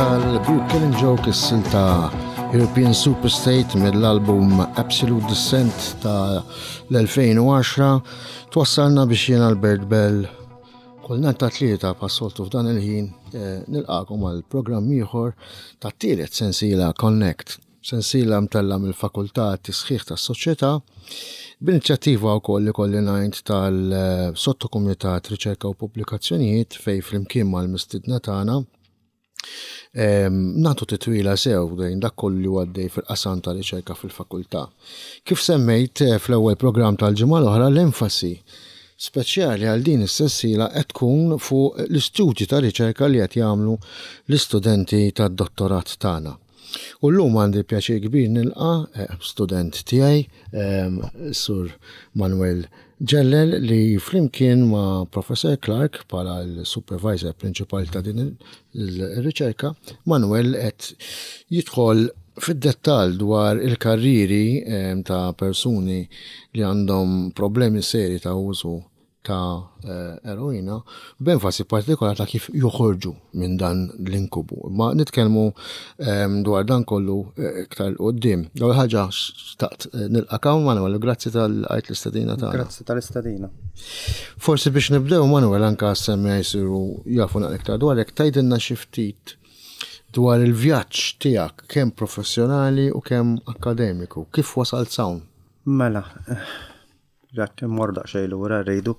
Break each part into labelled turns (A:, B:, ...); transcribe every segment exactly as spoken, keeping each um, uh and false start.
A: Tal-grupp Killing Joke, is-silta European Superstate mill-album Absolute Descent ta' l-elfejn u għaxra, twassalna biex jien, Albert Bell, kull nhar ta' Tlieta bħas-soltu f'dan il-ħin eh, nilqakom għal programm ieħor ta' tielet sensiela Connect. Sensiela mtella mill-Fakultà Tisħiħ tas-Soċjetà b'inizjattiva wkoll li kolli ngħid tal-Sottokumitat Riċerka u Pubblikazzjonijiet, fejn flimkien mal-mistidna tagħna nagħtu titwila sew dejn dak kollu li għaddej fil-qasam ta' riċerka fil-fakultà. Kif semmejt eh, fl-ewwel programm tal-ġimgħa l-oħra, l-enfasi speċjali għal din is-sensiela qed tkun fuq l-istudji ta' riċerka li qed jagħmlu l-istudenti tad-dottorat tagħna. U llum għandi pjaċir kbir nilqa' eh, student tiegħi, Sur Manuel Ġellel, li flimkien ma' Professor Clark bħala l-supervisor prinċipali ta' din il-riċerka, Manuel qed jidħol fid-dettall dwar il-karriri ta' persuni li għandhom problemi seri ta' użu ta' eh, eroina, b'enfasi partikolari ta' kif joħorġu minn dan l-inkubu. Ma nitkellmu ehm, dwar dan kollu eh, iktar quddiem. L-ewwel ħaġa xtaqt eh, nilqak hawn, Manuel, grazzi tal-għajt l-istedina tagħna.
B: Grazzi tal-istedina.
A: Forsi biex nibdew, Manuel, anka semmi jsiru jafu naqra iktar dwarek, tgħidilna xi ftit dwar il-vjaġġ tiegħek, kemm professjonali u kemm akademiku. Kif wasalt hawn?
B: Mela, jekk immur daqsxejn lura rridu.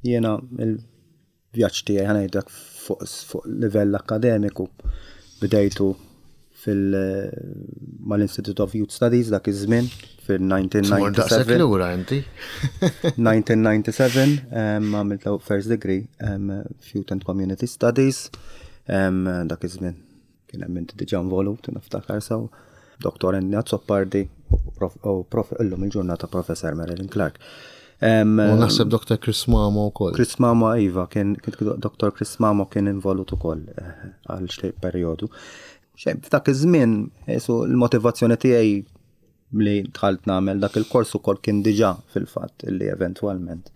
B: Jiena il-vjaġġ tiegħi, ħa ngħidlek, fuq fuq livell akademiku bdejtu fil mal-Institute of Youth Studies dak iż-żmien
A: Tmur daqshekk
B: fil-elf disa' mija u disgħa u disgħin.
A: Lura inti.
B: elf disa' mija u disgħa u disgħin um, għamilt first degree um, f'Youth and Community Studies. um, dak iż-żmien kien hemm inti diġà involut, niftakar sew, Doktor Andy Azzopardi u prof, u prof, illum il-ġurnata Professor Marilyn Clark. Um,
A: U naħseb Doktor Chris Mamo wkoll.
B: Chris Mamo, iva, kien kien- Doktor Chris Mamo kien involut ukoll eh, għal xi perjodu. Xejn, f'dak iż-żmien, esu l-motivazzjoni tiegħi li dħalt nagħmel dak il-kors ukoll kien diġà fil-fatt li eventwalment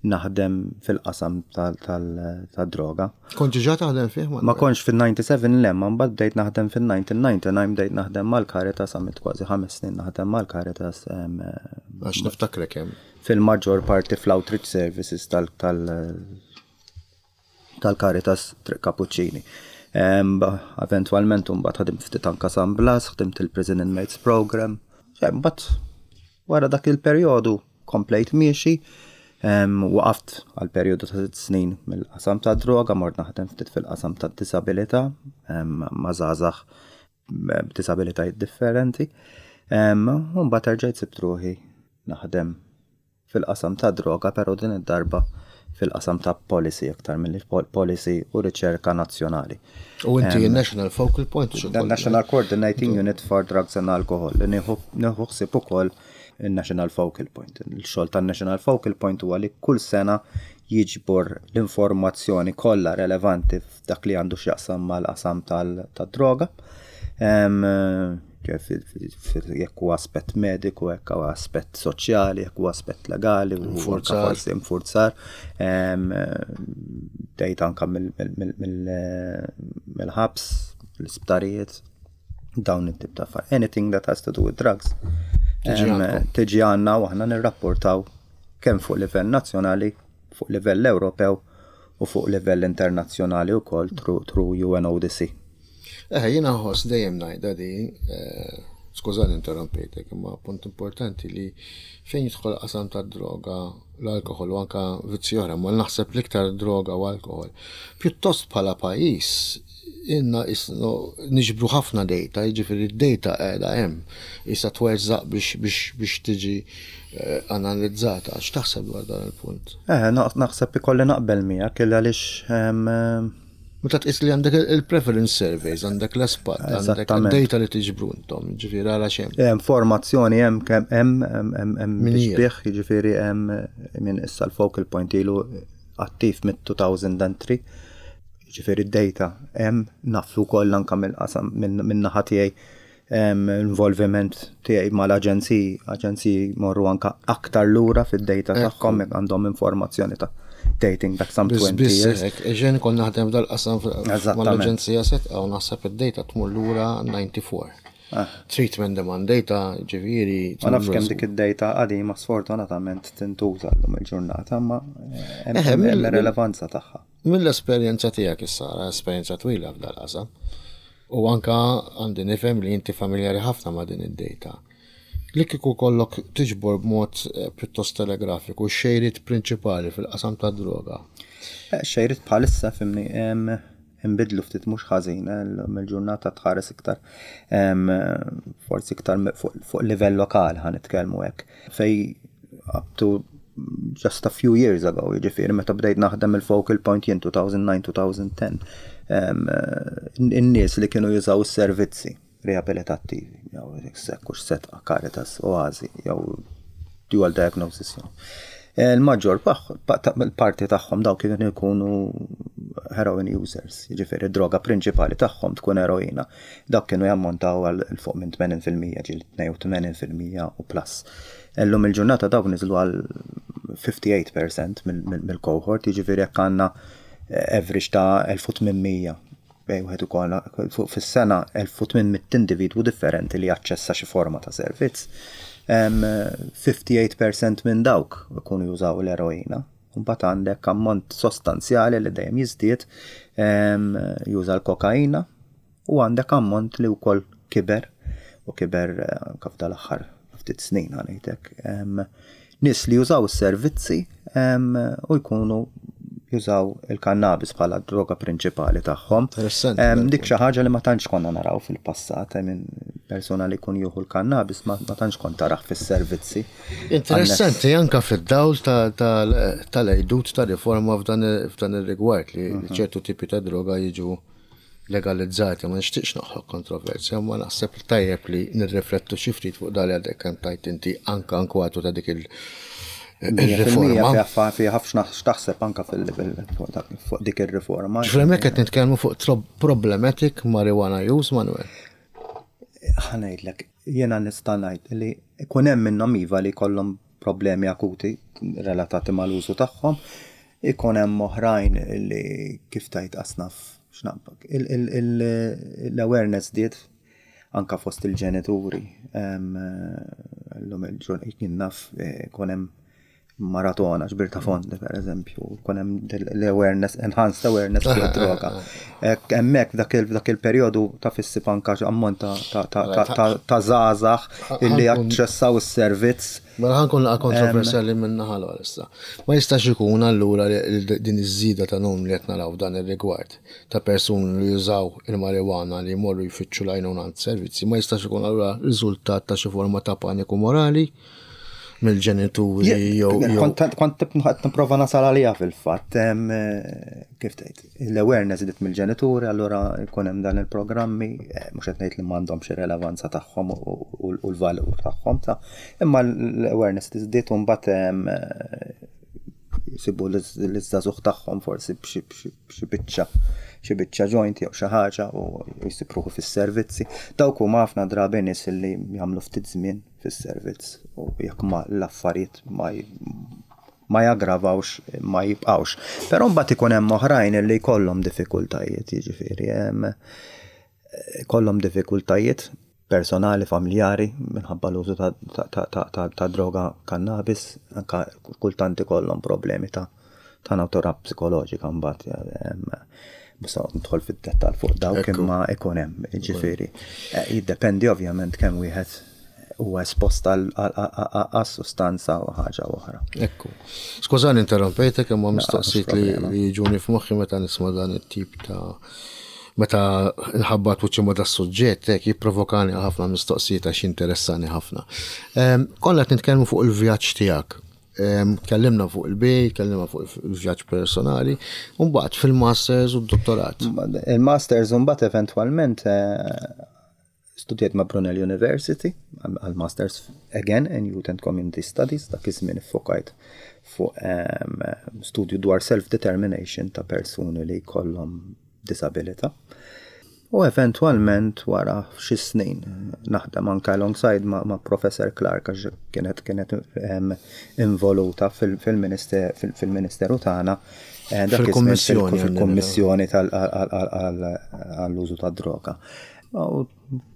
B: naħdem fil-qasam tal-droga.
A: Kont diġà taħdem fih,
B: Ma kontx fil-disgħa u disgħin, le, ma mbagħad bdejt naħdem fil-elf disa' mija u disgħa u disgħin, bdejt naħdem mal-Caritas, għamilt kważi ħames snin naħdem mal-Caritas em,
A: Għax niftakrek hemm.
B: fil-maġġor parti fl-outreach services tal- tal- tal-Caritas Triq Kapuċċini. Em, ba- Eventualment mbagħad ħadimt ftit anka San Blas, ħdimt il-Prison Inmates Program. Mbagħad wara dak il-perjodu komplejt miexi, em, waqaft għal perjodu ta' sitt snin mill-qasam ta' droga, mort naħdem ftit fil-qasam ta' disabilità, em, ma' żgħażagħ b'disabilitajiet differenti. Em, U mbagħad erġajt sibt ruħi naħdem fil-qasam ta' droga, pero din id-darba fil-qasam ta' policy aktar mill policy u riċerka nazzjonali.
A: U inti il-National Focal Point xi
B: The National Coordinating Unit for Drugs and Alcohol, li nieħu nieħu ħsieb ukoll il-National Focal Point. Il-xogħol tan-National Focal Point huwa li kull sena jiġbor l-informazzjoni kollha relevanti f'dak li għandu x'jaqsam mal-qasam tal-droga. Em, Jekk huwa aspett mediku, jekk huwa aspett soċjali, jekk huwa aspett legali, u anka
A: Infurzar.
B: forsi infurzar. Em, Bdejt anka mill- mill- mill- mill- mill-ħabs, l-isptarijiet, dawn it-tip ta' affarijiet. Anything that has to do with drugs.
A: Tiġi
B: Em,
A: għandkom.
B: Tiġi għandna u aħna nirrapportaw kemm fuq livell nazzjonali, fuq livell Ewropew u fuq livell internazzjonali wkoll through, through U N O D C.
A: Eh, jiena nħoss, dejjem ngħidha di, eh, skużani interrompejtek, imma punt importanti li fejn jidħol qasam ta' droga, l-alkohol u anka vizzji oħra, ma naħseb l-iktar droga u alkohol. Pjuttost bħala pajjiż inna isno niġbru ħafna data, jiġifieri d-data qiegħda hemm, issa tweżżaq biex biex biex tiġi eh, analizzata. X'taħseb dwar dan il-punt?
B: Eh, naħseb ikolli naqbel miegħek il għaliex em,
A: Meta tqis li għandek il-prevalence surveys, għandek l-ESPAD, għandek
B: Eżattament.
A: data li tiġbru intom, ġifieri għala xem.
B: Hemm formazzjoni, hemm kemm hemm hemm hemm hemm
A: Min hija?
B: tixbih, jiġifieri hemm minn issa l-focal point ilu attiv mid-elfejn u tlieta. Jiġifieri d-data hemm, nafu wkoll anke mill-qasam minn naħa tiegħi, hemm involviment tiegħi mal-aġenziji, aġenziji morru anka aktar lura fid-data tagħhom jekk għandhom informazzjoni ta' dating back some twenty years.
A: Eġen kont naħdem dal-qasam mal-aġenzija Sedqa u naħseb id-data tmur lura disgħa u disgħin. Ah. Treatment demand data, ġifieri.
B: Ma nafx kemm dik id-data qadima sfortunatament tintuża llum il-ġurnata, ma hemm relevanza tagħha.
A: Mill-esperjenza tiegħek issa, esperjenza twila f'dal-qasam, u anka għandi nifhem li inti familjari ħafna ma' din id-data. Li kieku kollok tiġbor b'mod eh, pjuttost telegrafiku xejriet prinċipali fil-qasam ta' droga.
B: Eh, xejriet bħalissa fimni imbidlu ftit mhux ħażin, eh, mill-ġurnata tħares iktar forsi iktar fuq livell lokali ħa nitkellmu hekk. Fej up to just a few years ago, jiġifieri meta bdejt naħdem il-focal point jien elfejn u disa-elfejn u għaxra, in-nies li kienu jużaw is-servizzi riabilitattivi, jew sekkux Sedqa, Caritas, Oazi, jew dual diagnosis. Il-maġġor parti tagħhom daw kienu jkunu heroin users, jiġifieri droga prinċipali tagħhom tkun eroina. Dak kienu jammontaw għal fuq minn tmenin fil-mija, ġieli tnejn u tmenin fil-mija u plus. Illum il-ġurnata dawk niżlu għal ħamsa u ħamsin fil-mija mill-cohort, jiġifieri jekk għandna average ta' elf u tmien mija bej wieħed ukoll fuq fis-sena elf u tmien mitt individwu differenti li jaċċessa xi forma ta' servizz. ħamsa u ħamsin fil-mija minn dawk ikunu jużaw l-eroina. Mbagħad għandek ammont sostanzjali li dejjem jiżdied juża l-kokaina u għandek ammont li wkoll kiber u kiber eh, kif dal-aħħar ftit snin ngħidlek. Nies li jużaw is-servizzi u jkunu jużaw il-kannabis bħala droga prinċipali tagħhom. Dik xi ħaġa li ma tantx konna naraw fil-passat, minn persuna li jkun jieħu l-kannabis ma tantx kont taraħ fis-servizzi.
A: Interessanti anka fid-dawl tal-għajdut ta' riforma f'dan ir-rigward li mhm. ċertu tipi ta' droga jiġu legalizzati, ma nixtieqx noħloq kontroversja, ma naħseb tajjeb li nirriflettu xi ftit fuq dal għadek kemm tajt inti anka inkwatu ta' dik il-
B: il-riforma. Fi ħafna x'taħseb anka fuq dik ir-riforma.
A: Ġifri qed nitkellmu fuq problematic marijuana use, Manuel.
B: Ħa ngħidlek, jiena nista' ngħid li ikun hemm minnhom iva li jkollhom problemi akuti relatati mal-użu tagħhom, ikun hemm oħrajn li kif tajt asnaf x'naqbak. L-awareness diet anka fost il-ġenituri. L-lum il-ġurnata naf ikun hemm maratona, ġbir ta' fondi, per eżempju, kun hemm l-awareness, enhanced awareness fuq droga. Hemmhekk f'dak il-perjodu ta' fissi anka ammont ta' żgħażagħ illi jaċċessaw is-servizz.
A: Mela ħa nkun naqra kontroversjali minn naħa issa. Ma jistax ikun allura din iż-żieda ta' numri li qed naraw dan ir-rigward ta' persuni li jużaw il-marijuana li jmorru jfittxu l-għajnuna servizzi, ma jistax ikun allura riżultat ta' xi forma ta' paniku morali mill-ġenituri jew.
B: Kont nipprova nasal għalija fil-fatt, kif tgħid, l-awareness dit mill-ġenituri, allura jkun hemm dan il-programmi, eh, mhux qed ngħid li m'għandhomx ir-relevanza tagħhom u l-valur tagħhom ta' imma l-awareness tiżdied u mbagħad jisibu l-żagħżugħ tagħhom forsi b'xi biċċa xi biċċa joint jew xi ħaġa u jsib ruħu fis-servizzi. Dawk huma ħafna drabi nies li jagħmlu ftit żmien fis-servizz u jekk ma l-affarijiet ma ma jaggravawx ma jibqawx. Però mbagħad ikun hemm oħrajn li jkollhom diffikultajiet, jiġifieri kollhom diffikultajiet personali, familjari, minħabba l-użu ta' droga kannabis, anka kultant ikollhom problemi ta' ta' natura psikoloġika mbagħad. Musa nidħol fid-dettal fuq dawk imma ikun hemm, ġifieri. Eh, jiddependi ovvjament kemm wieħed huwa espost għas-sustanza u ħaġa oħra.
A: Ekku. Skużani interrompejtek, imma mistoqsijiet li jiġuni f'moħħi meta nisma' dan it-tip ta' meta nħabbat wiċċi ma' das-suġġett, hekk jipprovokani ħafna mistoqsijiet għax interessani ħafna. Konna qed nitkellmu fuq il-vjaġġ tiegħek. Tkellimna fuq il-bejt, tkellimna fuq il-vjaġġ personali, u mbagħad fil-masters u d-dottorat.
B: Il-masters u mbagħad eventwalment eh, studjajt ma' Brunel University għal-masters again in Youth and Community Studies, dak iż-żmien iffokajt fuq studju dwar self-determination ta' persuni li jkollhom disabilità. U eventwalment wara xi snin naħdem anke alongside ma', ma' Professor Clark għax kienet kienet um, involuta fil-ministeru tagħna eh,
A: fil-kummissjoni
B: fil-kummissjoni għall-użu tad-droga. U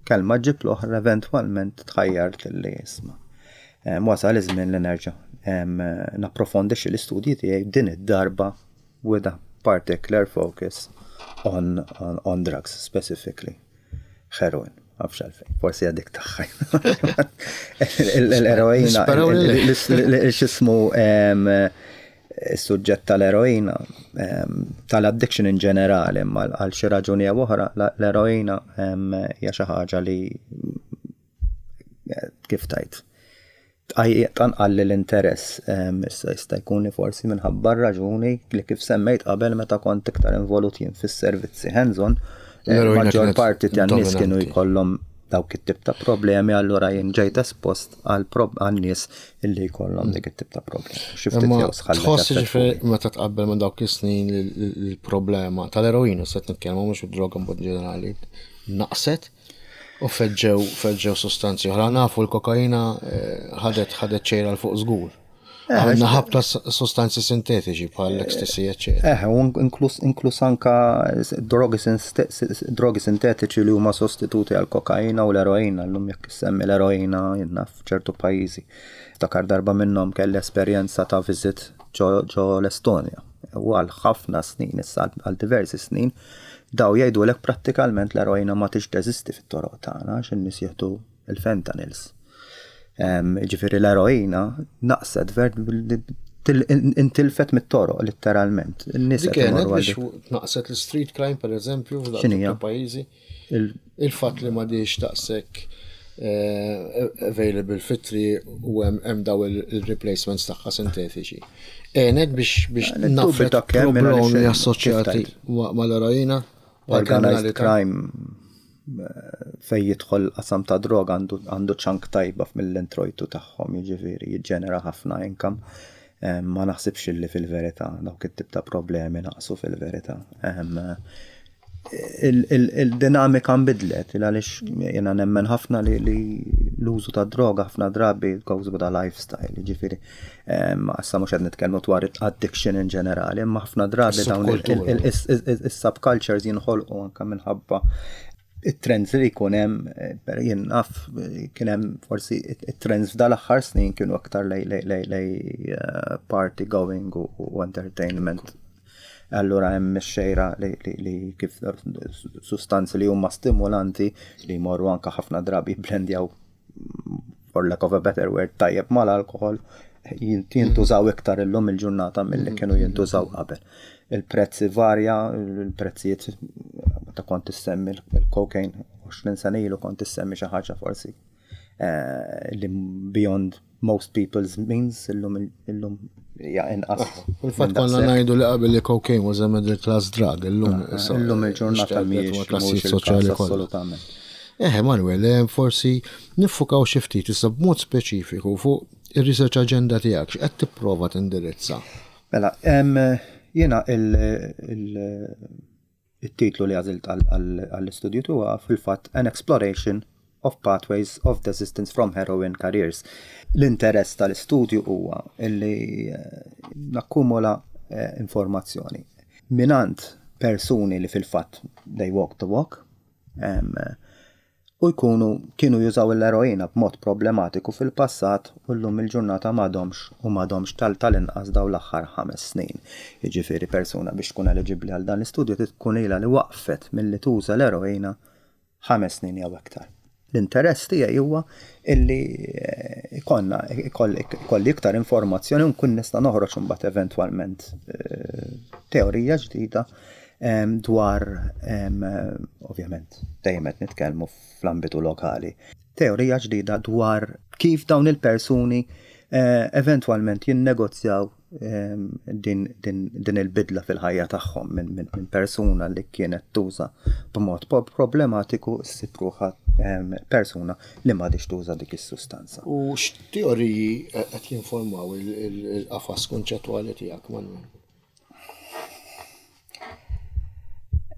B: kelma ġib l-oħra eventwalment tħajjart li isma'. Wasal iż-żmien li nerġa' napprofondixxi l-istudji tiegħi din id-darba with a particular focus on, on, on drugs specifically. Heroin, għafx għalfejn, forsi għadik taħħaj. L-eroina, xismu il-suġġett tal-eroina, tal-addiction in ġenerali, ma għal xi raġuni jew oħra, l-eroina hija xi ħaġa li kif tajt tanqalli l-interess, issa jista' jkun li forsi minħabba raġuni li kif semmejt qabel meta kont iktar involut jien fis-servizzi hands-on, maġġor parti tan-nies kienu jkollhom dawk it-tip ta' problemi, allura jien ġejt espost għal nies illi jkollhom dik it-tip ta' problemi.
A: Xi ftit jew sħallet. Tħoss ġifieri meta tqabbel ma' dawk is-snin l-problema tal-eroina, se nitkellmu mhux id-droga b'mod ġenerali, naqset u feġġew feġġew sostanzi oħra. Nafu l-kokaina ħadet ħadet ċejra 'l fuq żgur. Għandna ħabta sostanzi sintetiċi bħal l-ecstasy, eccetera.
B: Eh, u inklus inklus anka drogi drogi sintetiċi li huma sostituti għal kokaina u l-eroina, llum jekk issemmi l-eroina jiena f'ċertu pajjiżi. Ftakar darba minnhom kelli esperjenza ta' visit ġo l-Estonja. U għal ħafna snin, issa għal diversi snin, daw jgħidulek prattikalment l-eroina ma tix teżisti fit-toroq tagħna għax in-nies jieħdu il-fentanyls. Ġifieri l-eroina naqset ver intilfet mit-toroq letteralment.
A: In-nies kienet biex naqset l-street crime per eżempju f'dawk pajjiżi. Il-fatt li m'għadix daqshekk available fit-triq u hemm daw il-replacements tagħha sintetiċi. Għenet biex biex nafret problemi assoċjati mal-eroina.
B: Organized crime fej jidħol qasam ta' droga għandu chunk tajba mill-introjtu tagħhom, jiġifieri jiġġenera ħafna income. Ma naħsibx li fil-verità dawk it-tip ta' problemi naqsu fil-verità. Il-dinamika nbidlet, għaliex jiena nemmen ħafna li l-użu ta' droga ħafna drabi goes with a lifestyle, jiġifieri issa mhux qed nitkellmu dwar addiction in ġenerali, imma ħafna drabi dawn is-subcultures jinħolqu anke minħabba it-trends li jkun hemm, jien naf kien hemm forsi it-trends f'dal-aħħar snin kienu aktar lej lej lej party going u entertainment. Allura hemm ix-xejra li kif sustanzi li huma stimulanti li jmorru anke ħafna drabi blendjaw, for lack of a better word, tajjeb mal-alkohol, jintużaw iktar illum il-ġurnata milli kienu jintużaw qabel. Il-prezzi varja, il-prezzijiet meta kont issemmi il-cocaine għoxrin sena ilu kont issemmi xi ħaġa forsi li beyond most people's means, illum illum hija inqas.
A: Fil-fatt konna ngħidu li qabel li cocaine was a middle class drug, illum
B: illum il-ġurnata mhijiex
A: klassijiet soċjali
B: assolutament.
A: Eh, Manuel, forsi niffukaw xi ftit issa b'mod speċifiku fuq ir-research agenda tiegħek, x'qed tipprova tindirizza?
B: Mela, jiena il-titlu li għażilt għall-istudju huwa fil-fatt An Exploration of Pathways of Desistance from Heroin Careers. L-interess tal-istudju huwa illi nakkumula informazzjoni minant persuni li fil-fatt they walk the walk, u jkunu kienu jużaw l-eroina b'mod problematiku fil-passat u llum il-ġurnata m'għadhomx u m'għadhomx tal-inqas daw l-aħħar ħames snin. Jiġifieri persuna biex tkun eliġibbli għal dan l-istudju tkun ilha li waqfet milli tuża l-eroina ħames snin jew iktar. L-interess tiegħi huwa illi ikollna ikolli iktar informazzjoni u nkun nista' noħroġ imbagħad eventwalment teorija ġdida dwar, ovvjament, dejjem qed nitkellmu fl-ambitu lokali, teorija ġdida dwar kif dawn il-persuni eventwalment jinnegozjaw din, din, din il-bidla fil-ħajja tagħhom minn min, min persuna li kienet tuża b'mod problematiku ssib ruħha persuna li m'għadix tuża dik is-sustanza.
A: U x'teoriji qed jinformaw il-qafas konċettwali tiegħek, Manuel?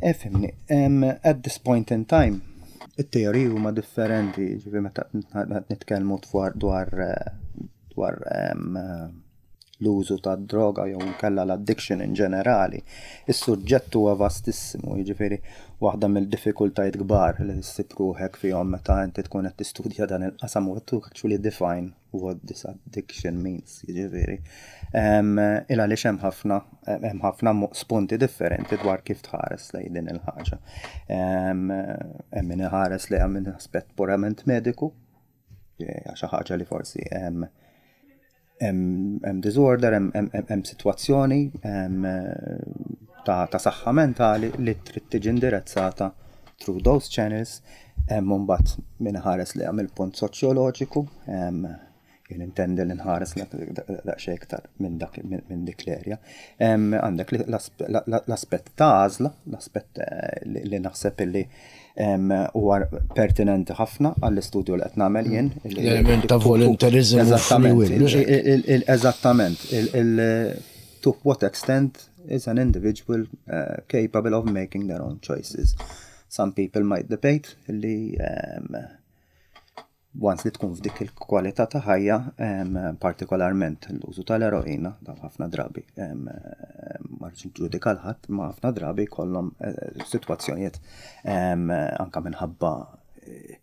B: Ifhimni, at this point in time, it-teoriji huma differenti, ġifieri meta nitkellmu dwar dwar dwar l-użu ta' droga jew kella l-addiction in ġenerali. Is-suġġett huwa vastissimu, jiġifieri waħda mill-diffikultajiet kbar li ssib ruħek fihom meta inti tkun qed tistudja dan il-qasam u to actually define what this addiction means, jiġifieri. Il għaliex hemm ħafna hemm ħafna spunti differenti dwar kif tħares lejn din il-ħaġa. Hemm min iħares lejha minn aspett purament mediku, xi ħaġa li forsi hemm hemm disorder, hemm sitwazzjoni ta' saħħa mentali li trid tiġi indirizzata through those channels. Hemm mbagħad min ħares li mill punt soċjoloġiku, jien intendi li nħares daqsxejn iktar minn dak minn dik l-erja. Għandek l-aspett ta' għażla, l-aspett eh, li naħseb li huwa pertinenti ħafna għall-istudju li qed nagħmel jien.
A: L-element ta' voluntarism.
B: Eżattament. Eżattament. To what extent is an individual uh, capable of making their own choices? Some people might debate li um, once li tkun f'dik il-kwalità ta' ħajja, partikolarment l-użu tal-eroina, dan ħafna drabi, ma rridx ġudika l-ħadd, ma ħafna drabi kollhom eh, sitwazzjonijiet anka minħabba eh,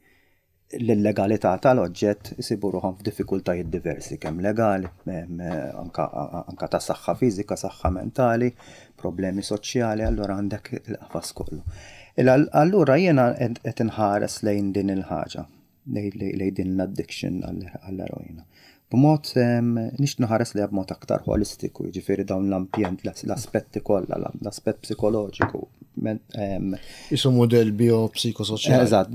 B: l-illegalità tal-oġġett isibu ruħhom f'diffikultajiet diversi, kemm legali, anka, anka ta' saħħa fiżika, saħħa mentali, problemi soċjali, allura għandek il-qafas kollu. Allura jiena qed inħares lejn din il-ħaġa, lejn din l-addiction għall-eroina. B'mod nix nħares li b'mod aktar holistiku, jiġifieri dawn l-ambjent, l-aspetti kollha, l-aspett psikoloġiku.
A: Isu model biopsikosoċjali.
B: Eżatt,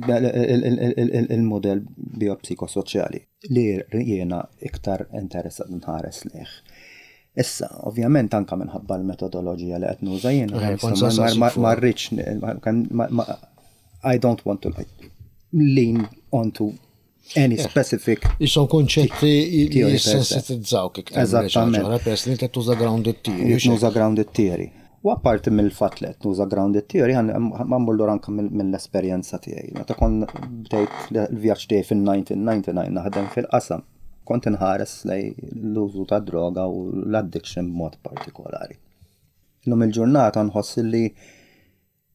B: il-model biopsikosoċjali li jiena iktar interessat nħares lejh. Issa, ovvjament anka minħabba l-metodoloġija li qed nuża jiena, ma rridx, I don't want to like lean onto any specific.
A: Jisom konċetti li jissensitizzaw kik.
B: Eżattament.
A: Peress li tuża grounded theory.
B: Nuża grounded theory. U apparti mill-fatt li nuża grounded theory, ma mmur anka mill-esperjenza tiegħi. Meta kont bdejt l-vjaġġ tiegħi fil-elf disa' mija u disgħa u disgħin naħdem fil-qasam, kont inħares lej l-użu ta' droga u l-addiction b'mod partikolari. Illum il-ġurnata nħoss li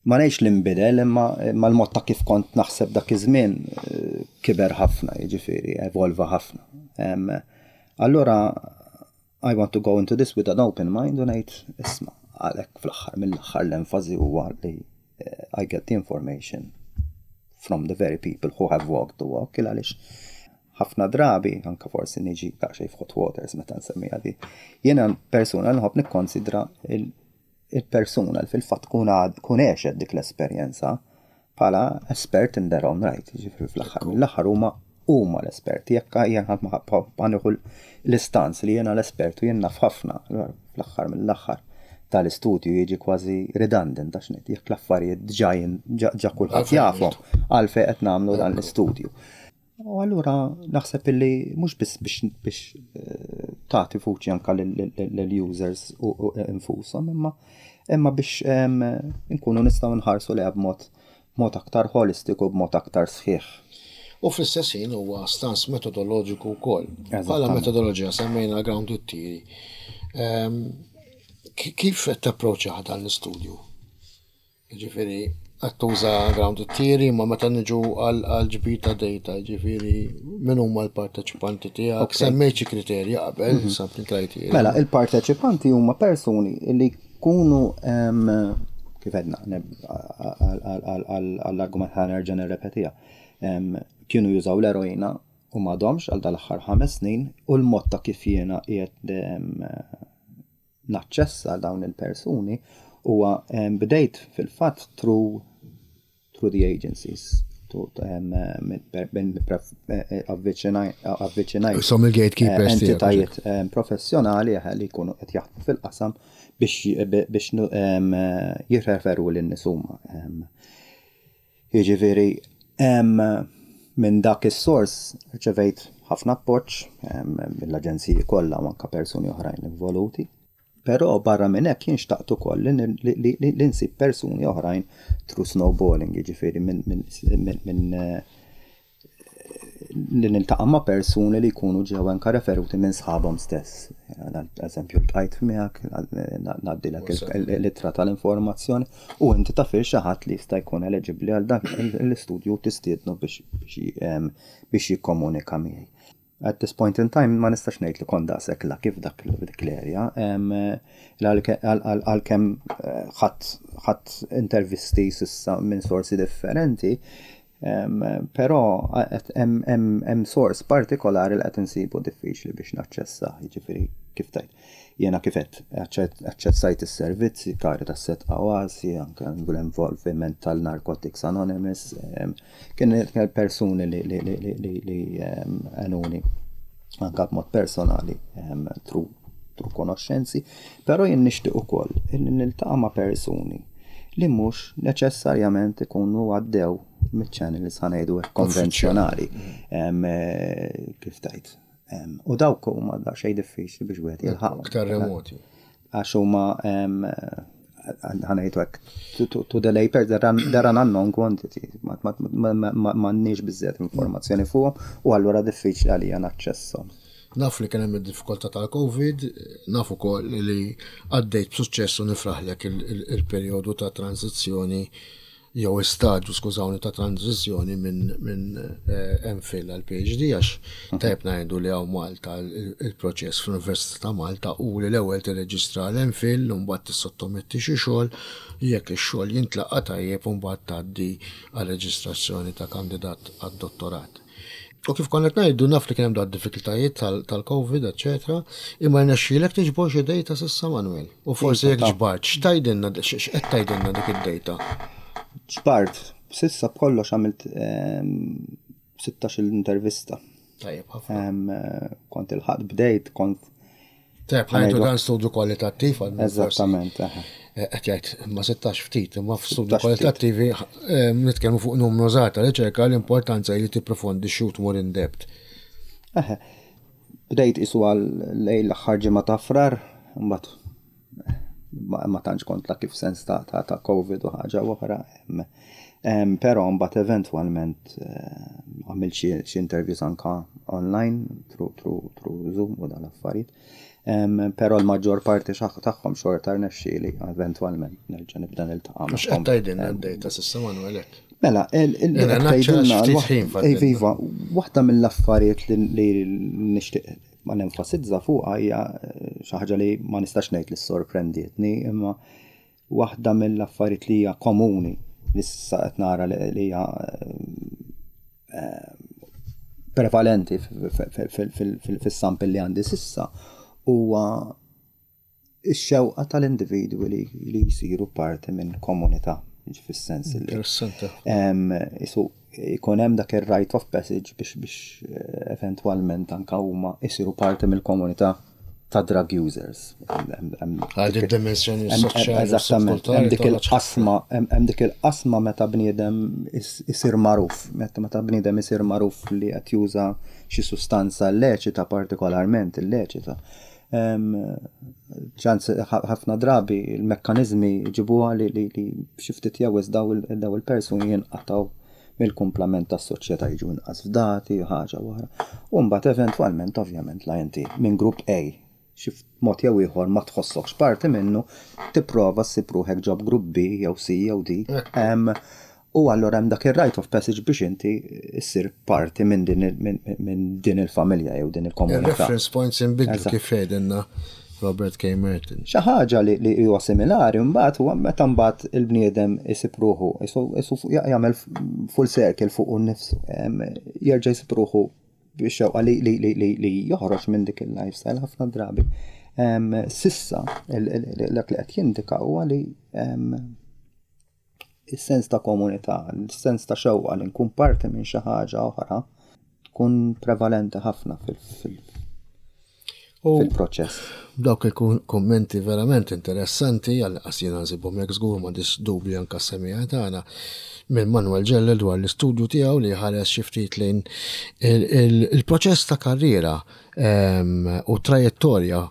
B: ma ngħidx li nbidel, imma l-mod ta' kif kont naħseb dak iż-żmien eh, kiber ħafna, jiġifieri evolva ħafna. Allura I want to go into this with an open mind u ngħid isma' għalhekk fl-aħħar mill-aħħar l-enfasi huwa li eh, I get the information from the very people who have walked the walk, il għaliex ħafna drabi, anka forsi niġi daqsxejn f'hot waters meta nsemmiha di, jiena persuna nħobb nikkonsidra il-persuna li fil-fatt kun għexet dik l-esperjenza bħala espert in their own right, ġifieri fl-aħħar mill-aħħar huma huma l-esperti, jekk jien ħa nieħu l-istance li jiena l-espert u jien naf ħafna, fl-aħħar mill-aħħar tal-istudju jiġi kważi redundant, għax ngħid jekk l-affarijiet ġa ġa kulħadd jafhom, għalfejn qed nagħmlu dan l-istudju? U allura naħseb illi mhux biss biex biex eh, tagħti vuċi anka lill-users u infushom, imma imma biex nkunu nistgħu nħarsu lejha b'mod mod aktar holistiku, b'mod aktar sħiħ.
A: U fl-istess ħin huwa stance metodoloġiku wkoll. Bħala metodoloġija semmejna grounded theory. Kif qed tapproċċja dan l-istudju? Ġifieri qed tuża grounded theory, ma meta niġu għal ġbir ta' data, ġifieri min huma l-parteċipanti tiegħek? Semmejt xi kriterji qabel, mhm. sampling criteria.
B: Mela, il-parteċipanti huma persuni li jkunu, kif għedna, għall-argument ħa nerġa' nirrepetiha, kienu jużaw l-eroina u m'għadhomx għal dal-aħħar ħames snin u l-mod ta' kif jiena qiegħed naċċessa dawn il-persuni huwa bdejt fil-fatt through through the agencies, avviċinajt
A: Som il-gatekeepers.
B: Entitajiet professjonali li jkunu qed jaħdmu fil-qasam biex biex jirreferu lin-nies huma. Jiġifieri minn dak is-sors rċevejt ħafna appoġġ mill-aġenziji kollha u anke persuni oħrajn involuti. Però barra minn hekk jien xtaqt ukoll li nsib persuni oħrajn through snowballing, jiġifieri minn eh, li niltaqa' ma' persuni li jkunu ġew anka referuti minn sħabhom stess. Eżempju, ltqajt miegħek, ngħaddilek l-ittra tal-informazzjoni u inti taf xi ħadd li jista' jkun eligibbli għal dak l-istudju, tistiednu biex jikkomunika miegħi. At this point in time ma nistax ngħid li kont daqshekk la kif dak dik l-area. Għalkemm eh, ħadt intervisti s'issa minn sorsi differenti, però hemm sors partikolari li qed insibu diffiċli biex naċċessa, jiġifieri kif tajt. Jiena kif qed aċċessajt is-servizzi, Caritas Sedqa, Oasi, anke l-involviment tal-Narcotics Anonymous, kien persuni li li għenuni anke b'mod personali through konoxxenzi, però jien nixtieq ukoll niltaqa' ma' persuni li mhux neċessarjament ikunu għaddew miċ-channels, ħa ngħidu, konvenzjonali. Eh, kif tajt. U dawk huma xejn diffiċli biex wieħed jilħaq.
A: Aktar remoti.
B: Għax huma, ħa ngħidu hekk, to the lay person, they're an unknown quantity. M'għandniex biżżejjed informazzjoni fuqhom u allura diffiċli għalija naċċesshom.
A: Naf li kien hemm id-diffikultà tal-Covid, naf ukoll li għaddejt b'suċċess u nifraħlek il-perjodu ta' tranzizzjoni jew istadju, skużawni, ta' tranzizzjoni minn min eh, M Phil għal P H D, għax tajb ngħidu li hawn Malta il-proċess fl-Università ta' Malta u li l-ewwel tirreġistra l-M Phil u mbagħad tissottometti xi xogħol, jekk ix-xogħol jintlaqa' tajjeb, u mbagħad tgħaddi għal reġistrazzjoni ta' kandidat għad-dottorat. U kif konna ngħidu, naf li kien hemm da diffikultajiet tal-Covid, eċetera, imma rnexxielek tiġbor xi data s'issa, Manuel? U forsi jekk ġbart, x'tgħidilna, x'qed tgħidilna dik id-data?
B: Ġbart, s'issa b'kollox għamilt sittax intervista.
A: Tajjeb ħafna.
B: Kont il-ħadd bdejt, kont.
A: Tajjeb, ħa ngħidu dan studju kwalitattiv għal
B: Eżattament.
A: Eh, qed jgħid ma sittax ftit, imma f'studju kwalitattivi nitkellmu fuq numru żgħar ta' riċerka, l-importanza li tipprofondi u tmur in depth.
B: Eħe. Bdejt isu għal lejn l-aħħar ġimgħa ta' Frar, mbagħad ma tantx kont la kif sens ta' ta' Covid u ħaġa oħra. Però mbagħad eventwalment eh, għamilt xi interviews anka online through Zoom u dan l-affarijiet. Però l-maġġor parti tagħhom xorta rnexxieli eventwalment nerġa' nibda niltaqa'.
A: Mhux qed tgħidilna d-data s'issa, Manuel?
B: Mela, il-iva, waħda mill-affarijiet li nixtieq ma nenfasizza fuqha hija eh, xi ħaġa li ma nistax ngħid li sorprendietni, imma waħda mill-affarijiet li hija komuni li s'issa qed nara li hija eh, prevalenti fis-sample li għandi s'issa huwa ix-xewqa tal-individwi li jsiru parti minn komunità, fis-sens li isu jkun hemm dak ir-rite of passage biex biex eh, eventwalment anka huma jsiru parti mill-komunità ta' drug users.
A: Għal dimensjoni soċjali.
B: Eżattament, hemm dik il-qasma, hemm dik il-qasma meta bniedem isir magħruf, meta meta bniedem isir magħruf li qed juża xi sustanza illeċita, partikolarment illeċita. Ċans ħafna drabi il-mekkanizmi ġibuha li li xi ftit jew daw il-persuni jinqataw mill-kumplament tas-soċjetà, jiġu inqas fdati, ħaġa oħra. U mbagħad eventwalment, ovvjament, la inti minn grupp A xi mod jew ieħor ma tħossokx parti minnu, tipprova ssib ruħek ġo grupp B jew C jew D. U allura hemm dak ir-rite of passage biex inti issir parti minn din din il-familja jew din il-komunità.
A: Reference points inbidlu, kif jgħidilna Robert K. Merton.
B: Xi ħaġa li, li huwa similari mbagħad huwa meta mbagħad il-bniedem isib ruħu, isu jagħmel full circle fuq nnifsu, jerġa' jsib ruħu biex li, li, li, li, li joħroġ minn dik il-lifestyle ħafna drabi. S'issa, dak li qed jindika huwa li il-sens ta' komunità, il-sens ta' xewqa li nkun parti minn xi ħaġa oħra tkun prevalenti ħafna fil-proċess.
A: Dawk il-kummenti verament interessanti, għal jiena nsibhom hekk, żgur m'għandix dubju anke s-semmiegħa tagħna, minn Manuel Ġelle dwar l-istudju tiegħu li ħares xi ftit lejn il-proċess ta' karriera u trajettorja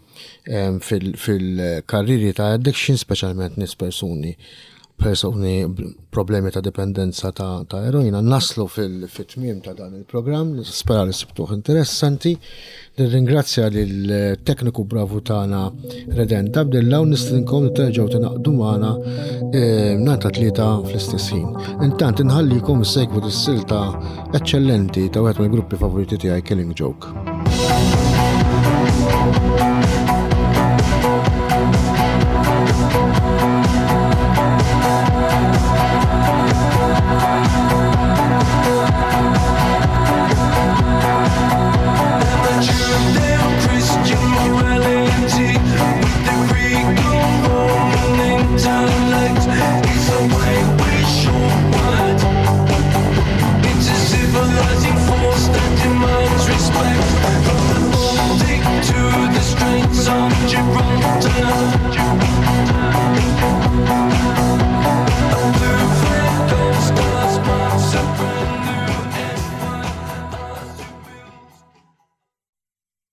A: fil-karriri ta' addiction, speċjalment nies persuni persuni problemi ta' dipendenza ta', ta eroina. Naslu fil-tmiem ta' dan il-programm, nispera li sibtuh interessanti. Nirringrazzja lill-tekniku bravu tagħna Redent Abdilla u nistedinkom li terġgħu tingħaqdu magħna eh, nhar ta' Tlieta fl-istess ħin. Intant inħallikom issegwu dis-silta eċċellenti ta' wieħed mill-gruppi favoriti tiegħi, Killing Joke.